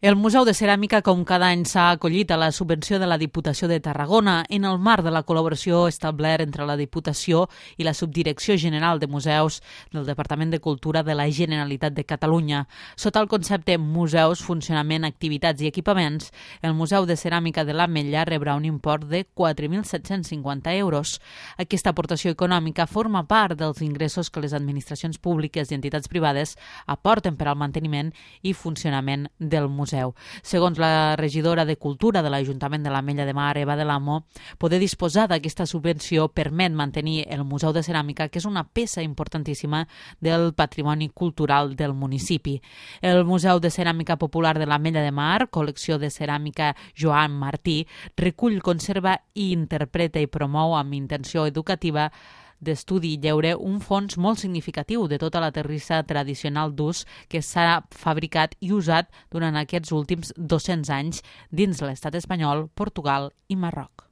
El Museu de Ceràmica, com cada any, s'ha acollit a la subvenció de la Diputació de Tarragona en el marc de la col·laboració establerta entre la Diputació i la Subdirecció General de Museus del Departament de Cultura de la Generalitat de Catalunya. Sota el concepte Museus, Funcionament, Activitats i Equipaments, el Museu de Ceràmica de l'Ametlla rebrà un import de 4.750 euros. Aquesta aportació econòmica forma part dels ingressos que les administracions públiques i entitats privades aporten per al manteniment i funcionament del museu. Segons la regidora de Cultura de l'Ajuntament de l'Ametlla de Mar, Eva de l'Amo, poder disposar d'aquesta subvenció permet mantenir el Museu de Ceràmica, que és una peça importantíssima del patrimoni cultural del municipi. El Museu de Ceràmica Popular de l'Ametlla de Mar, col·lecció de ceràmica Joan Martí, recull, conserva i interpreta i promou amb intenció educativa d'estudi i lleure un fons molt significatiu de tota la terrissa tradicional d'ús que s'ha fabricat i usat durant aquests últims 200 anys dins l'estat espanyol, Portugal i Marroc.